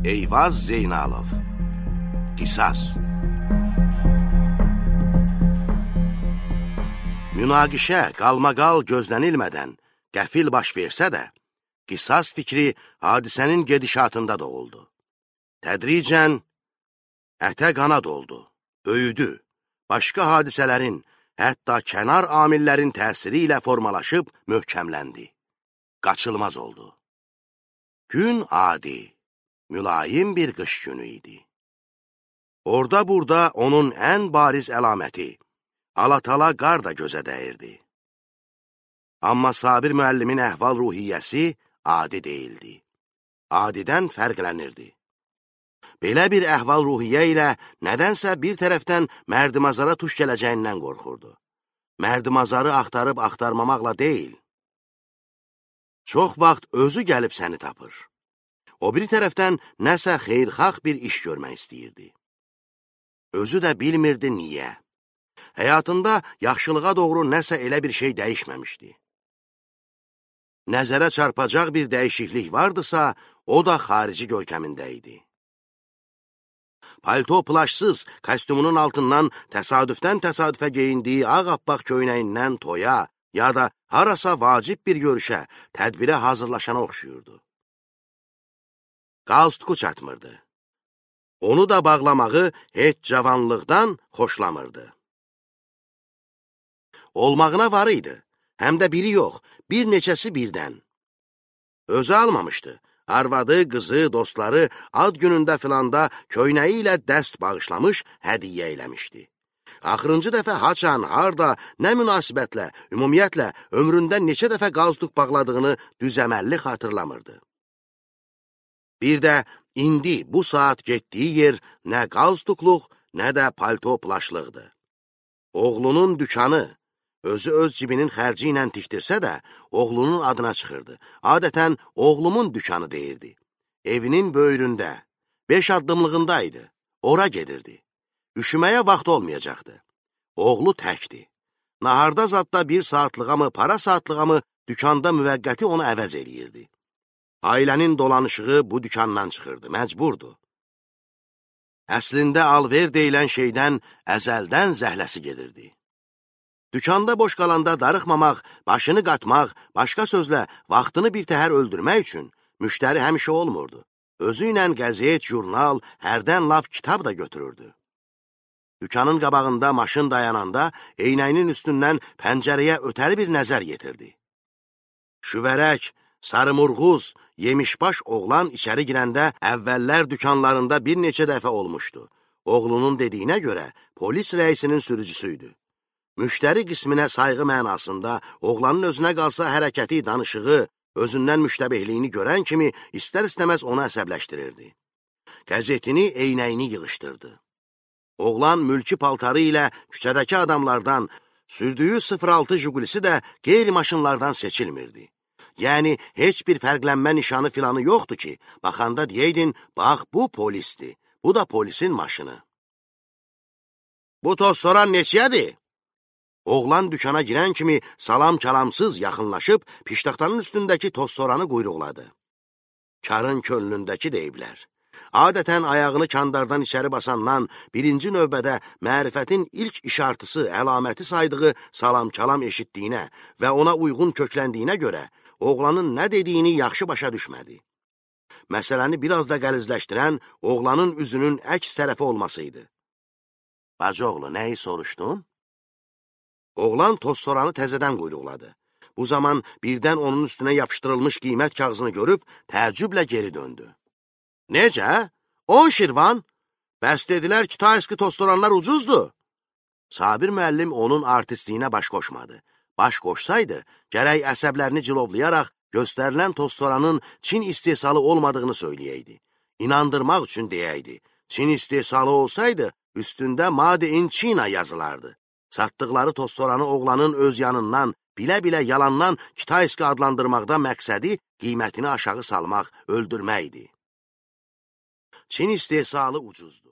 Eyvaz Zeynalov. Qisas. Münaqişə qalmaqal gözlənilmədən qəfil baş versə də, qisas fikri hadisənin gedişatında doğuldu. Tədricən ətə qana doldu, böyüdü, başqa hadisələrin, hətta kənar amillərin təsiri ilə formalaşıb möhkəmləndi. Qaçılmaz oldu. Gün adi, mülayim bir qış günü idi. Orada-burada onun ən bariz əlaməti, alatala qar da gözə dəyirdi. Amma Sabir müəllimin əhval-ruhiyyəsi adi deyildi. Adidən fərqlənirdi. Belə bir əhval-ruhiyyə ilə nədənsə bir tərəfdən mərdimazara tuş gələcəyindən qorxurdu. Mərdimazarı axtarıb axtarmamaqla deyil. Çox vaxt özü gəlib səni tapır. O biri tərəfdən nəsə xeyrxalq bir iş görmək istəyirdi. Özü də bilmirdi niyə. Həyatında yaxşılığa doğru nəsə elə bir şey dəyişməmişdi. Nəzərə çarpacaq bir dəyişiklik vardısa, o da xarici görkəmində idi. Palto plaşsız kostyumunun altından təsadüfdən təsadüfə geyindiyi ağappaq köynəyindən toya ya da harasa vacib bir görüşə, tədbirə hazırlaşana oxşuyurdu. Qalstuku çatmırdı. Onu da bağlamağı heç cavanlıqdan xoşlamırdı. Olmağına var idi, həm də biri yox, bir neçəsi birdən. Özü almamışdı. Arvadı, qızı, dostları ad günündə filanda köynəyi ilə dəst bağışlamış, hədiyyə eləmişdi. Axırıncı dəfə haçan, harda, nə münasibətlə, ümumiyyətlə, ömründə neçə dəfə qalstuk bağladığını düzəməlli xatırlamırdı. Bir də indi bu saat getdiyi yer nə qalstukluq, nə də palto plaşlıqdı. Oğlunun dükanı, özü öz cibinin xərci ilə tikdirsə də, oğlunun adına çıxırdı. Adətən, oğlumun dükanı deyirdi. Evinin böyründə, 5 addımlığındaydı. Ora gedirdi. Üşüməyə vaxt olmayacaqdı. Oğlu təkdi. Naharda zadda 1 saatlığa mı, para saatlığa mı dükanda müvəqqəti onu əvəz eləyirdi. Ailənin dolanışığı bu dükandan çıxırdı, məcburdu. Əslində alver deyilən şeydən əzəldən zəhləsi gedirdi. Dükanda boş qalanda darıxmamaq, başını qatmaq, başqa sözlə vaxtını bir təhər öldürmək üçün müştəri həmişə olmurdu. Özü ilə qəzet, jurnal, hərdən laf kitab da götürürdü. Dükanın qabağında maşın dayananda eynəyinin üstündən pəncərəyə ötəri bir nəzər yetirdi. Şüvərək, sarımurğuz, yemişbaş oğlan içəri girəndə əvvəllər dükanlarında bir neçə dəfə olmuşdu. Oğlunun dediyinə görə polis rəisinin sürücüsüydü. Müştəri qisminə sayğı mənasında oğlanın özünə qalsa hərəkəti, danışığı, özündən müştəbehliyini görən kimi istər-istəməz onu əsəbləşdirirdi. Qəzetini, eynəyini yığışdırdı. Oğlan mülki paltarı ilə küçədəki adamlardan, sürdüyü 06 Jigulisi də qeyri-maşınlardan seçilmirdi. Yəni, heç bir fərqlənmə nişanı filanı yoxdur ki, baxanda deyeydin, bax, bu polisdir, bu da polisin maşını. Bu toz soran neçiyədir? Oğlan dükana girən kimi salam-kalamsız yaxınlaşıb, piştaxtanın üstündəki tozsoranı quyruqladı. Karın könlündəki deyiblər. Adətən ayağını kandardan içəri basandan birinci növbədə mərifətin ilk işartısı, əlaməti saydığı salam-kalam eşitdiyinə və ona uyğun kökləndiyinə görə oğlanın nə dediyini yaxşı başa düşmədi. Məsələni biraz da qəlizləşdirən oğlanın üzünün əks tərəfi olmasıydı. Bacıoğlu, nəyi soruşdun? Oğlan tozsoranı təzədən quyruqladı. Bu zaman birdən onun üstünə yapışdırılmış qiymət kağızını görüb təəccüblə geri döndü. Necə? 10 şirvan? Bəs dedilər ki, tayski tozsoranlar ucuzdur. Sabir müəllim onun artistliyinə baş qoşmadı. Baş qoşsaydı, gərək əsəblərini cilovlayaraq göstərilən tozsoranın Çin istehsalı olmadığını söyləyəydi. İnandırmaq üçün deyəydi. Çin istehsalı olsaydı, üstündə Made in China yazılardı. Satdıqları tozsoranı oğlanın öz yanından, bilə-bilə yalandan Kitayski adlandırmaqda məqsədi qiymətini aşağı salmaq, öldürməkdir. Çin istehsalı ucuzdur.